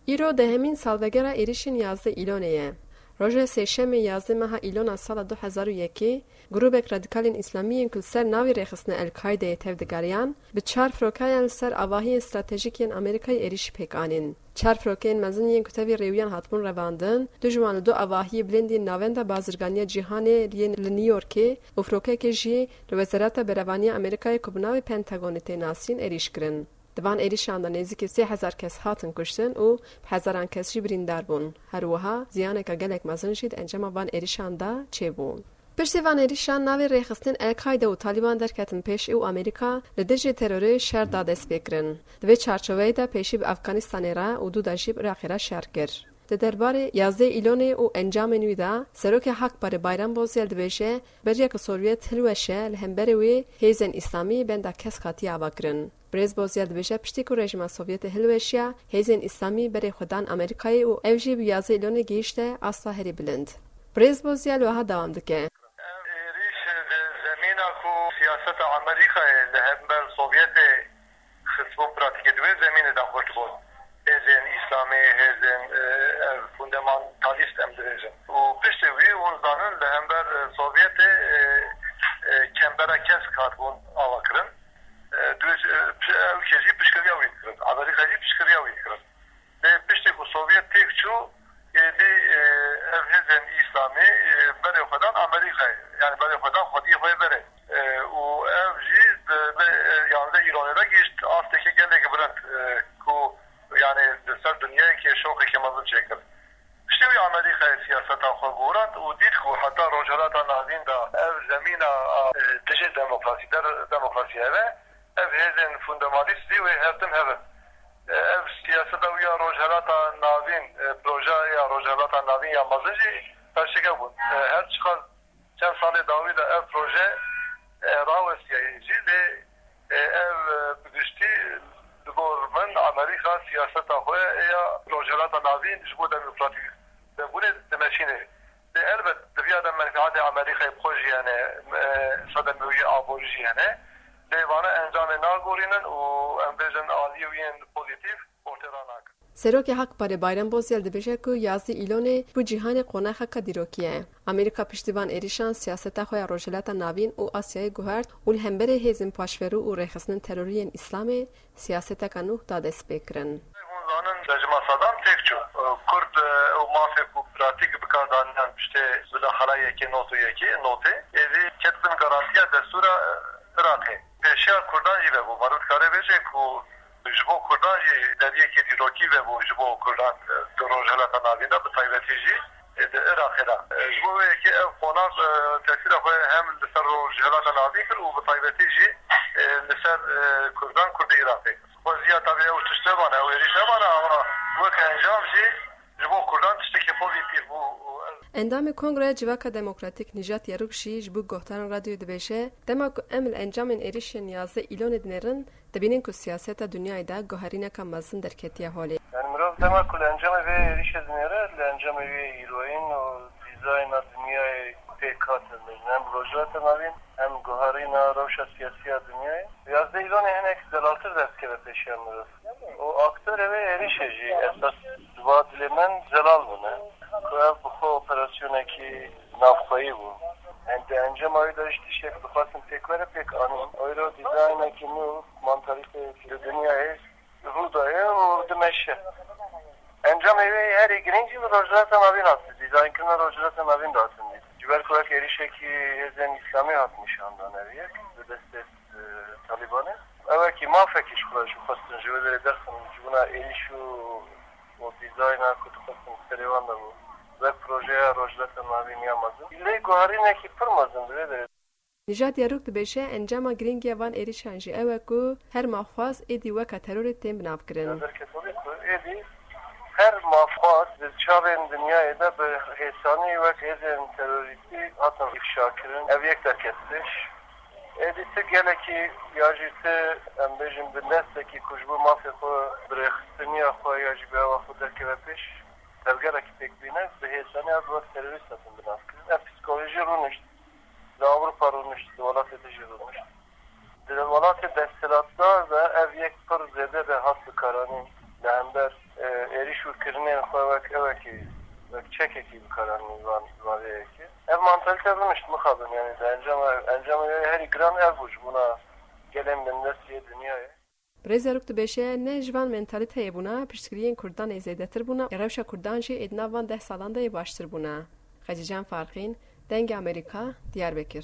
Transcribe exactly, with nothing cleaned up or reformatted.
Îro dehemîn salvegera êrîşên yazdeh Îlonê ye. Roja Sêşemê yazdeh meha Îlona sala du hezar û yekê, grûbek radikalên Îslamî yên ku li ser navê rêxistina El-Kaîdeyê tevdigeriyan, bi çar firokeyan li ser avahiyên stratejîk yên Amerîkayê êrîşî pêk anîn. Çar firokeyên mezin yên ku tevî rêwiyan hatibûn revandin, du ji wan li du avahiyê bilind yên Navenda Bazirganiya Cîhanê yên li New Yorkê û firokeyekê jî li Wezareta Berevaniya Amerîkayê ku bi navê Pentagonê tê nasîn êrîş kirin. Di van êrîşan de nêzîkî sê hezar kes hatin kuştin û bi hezaran kes jî birîndar bûn. Her wiha ziyaneke gelek mezin jî di encama van êrîşan de çêbû. Piştî van êrîşan navê rêxistinên El-Kaîde û Talîban derketin pêşî û Amerîka li dijî terorê şer da destpêkirin. Di vê çarçoveyê de pêşî bi Afganistanê re û dû de jî bi Iraqê re şer kir. Di derbarê yazdeh Îlonê û encamên wî de Serokê Hakparê Bayram Bozyel dibêje, beriya ku Sovyet hilweşe, li hemberê wê hêzên Îslamî benda kesk hatiye avakirin. Birêz Bozyel dibêje, piştî ku rejîma Sovyetê hilweşiya, hêzên Îslamî berê xwe dan Amerîkayê û ev jî bi yazdeh Îlonê gihîşte asta herî bilind. Birêz Bozyel wiha dewam dike. Ev êrîş di zemîna ku siyaseta Amerîkayê li hember Sovyetê xistbûn pratîkê, di wê zemînê de xurt bûn. Hêzên Îslamî, hêzên, e, ev fundamantalîst em dibêjin. Û piştî wî hûn zanin li hember, e, Sovyetê, e, e, kembera kesk hatibûn avakirin. E, di wê, e, ew kê jî piştgiriya wî dikirin. Amerîka jî piştgiriya wî dikirin. Lê piştî ku Sovyet têk çû, êdî, e, ev hêzên Îslamî, e, berê xwe dan Amerîkayê. Yani berê xwe dan xwediyê xwe yê berê. E, û ev jî di, di, e, yanzdeh Îlonê de gihîşt asteke gelek bilind, e, ku yani li ser dinyayekê şoqeke mezin çêkir. Piştî wî Amerîkayê siyaseta xwe gorand û dît ku heta Rojhilata Navîn de ev zemîna, e, dijî demokrasî, der demokrasî hebe, ev hêzên fundamalîst zî wê her tim hebin. E, ev siyaseta wî ya Rojhilata Navîn, e, projeya Rojhilata Navîn ya mezin jî perçeke bûn. E, her çiqas çend salê dawî de ev proje, e, rawestiyayî jî, lê, e, ev, e, bi giştî li gor min Amerîka siyaseta xwe ya Rojhilata Navîn ji bo demokratîk vebûnê dimeşîne. Lê elbet di viya de menfîatê Amerîkayê bi xwe jî hene, e, sedemê wî aborî jî hene. Lê vana encamê nagorînin û em bêjin aliyê wî yên pozîtîf ortê ranakin. Serokê Hakparê Bayram Bozyel dibêje ku yazdeh Îlonê bo cîhanê qonaxeke dîrokî ye. Amerîka piştî van êrîşan siyaseta xwe ya Rojhilata Navîn û Asyayê guhert û li hemberî hêzên paşverû û rêxistinên terorî yên Îslamê siyaseteke nû da destpêkirin. Hûn zanin rejîma Sedam têk çû. Kurd, e, û mafê ku pratîk bi kar daniyan piştê mudaxala yekê not û yekê, notê, êdî ket bin garantiya destûra, e, Iraqê. Pêşiya Kurdan jî vebû. Meriv dikare bêje ku ji bo Kurdan jî deriyekê dîrokî vebû ji bo Kurdan, e, di Rojhilata Navîn de, bi taybetî jî, e, di Iraqê de. E, ji bo vê yekê ev qonax, e, tesîra xwe hem li ser Rojhilata Navîn kir û bi taybetî jî, e, li ser, e, Kurdan, Kurdê Iraqê kir. Xweziya tabii ew tişt nebane, ew êrîş nebane, ama wek encam jî ji bo Kurdan tiştekî pozîtîf bû. Endamê Kongreya Civaka Demokratîk Nîjat Yarûk jî ji bo guhdarên radyoyê dibêje, dema ku em li encamên êrîşên yazdeh Îlonê dinêrin, dibînin ku siyaseta dinyayê de guherîneka mezin derketiye holê. Yani mirov dema ku li encamê vê êrîşê dinêre, li encamê wê îroyîn û dîzayna dinyayê pêk hatin, em Rojhilata Navîn, em guherîna rewşa siyasî ya dinyayê. Yazdeh Îlonê hinek zelaltir derdikeve pêşiya mirov. Û aktorê vê êrîşê jî esas di va dilê min zelal bûne. Ku ev bi xwe operasyonekî navxweyî bû. Em di encama wî de jî tiştek dixwestin pêk were pêk anîn. Oyro dîzaynekî nû, mantalîteyekî di dinyayê rû daye û dimeşe. Encamê wê herî girîng jî li Rojhilata Navîn hat, dîzaynkirina Rojhilata Navîn de hatin dît. Ji ber ku wek êrîşekî hêzên îslamî hat nîşandan ev yek, bi destê, e, Talîbanê. Ew wekî mafekî ji xwe jî xwestin ji wê derê derxin, ji bona êrîş û, û dîzayna ku dixwestin serê wan de bû. Wek projeya Rojhilata Navîn ya mezin. Lê guherînekî pir mezin di vê derê. Nîjat Yarûk dibêje, encama girîng ya van êrîşan jî ew e ku her mafxwaz êdî weke terorê tên binavkirin. Li derketovê ku êdî her mafxwaz di çavên dinyayê de bi hêsanî wek hêzên terorîstî hatin îfşakirin. Ev yek derket pêş. Êdî ti gelekî ya jî ti, em bêjin, bindestekî ku ji bo mafê xwe, bi rêxistiniya xwe ya jî bi hewa xwe derkeve pêş, tevgerekî pêk bîne, bi hêsanî ev wek terorîst hatin binavkirin. Ev psîkolojî rûnişt. Li Ewropa rûnişt, li welatê din jî rûnişt. Di welatê desthilatdar de ev yek pir zêde de hat bikaranîn. Li hember e, êrîş û kirinên xwe wek ewekî, wek çekekî bikaranîn van, van vê yekê. Ev mantalite rûnişt mixabin, yani di encama, encama wê herî giran ev bû ji bona gelên bindestiyê dinyayê. Birêz Zarok dibêje ne ji van mentaliteyê bûna, piştgiriyên Kurdan ê zêdetir bûna, ê rewşa Kurdan jî ê di nav van deh salan de yê baştir bûna. Xecîcan Farqîn, Dengê Amerîka, Diyarbekir.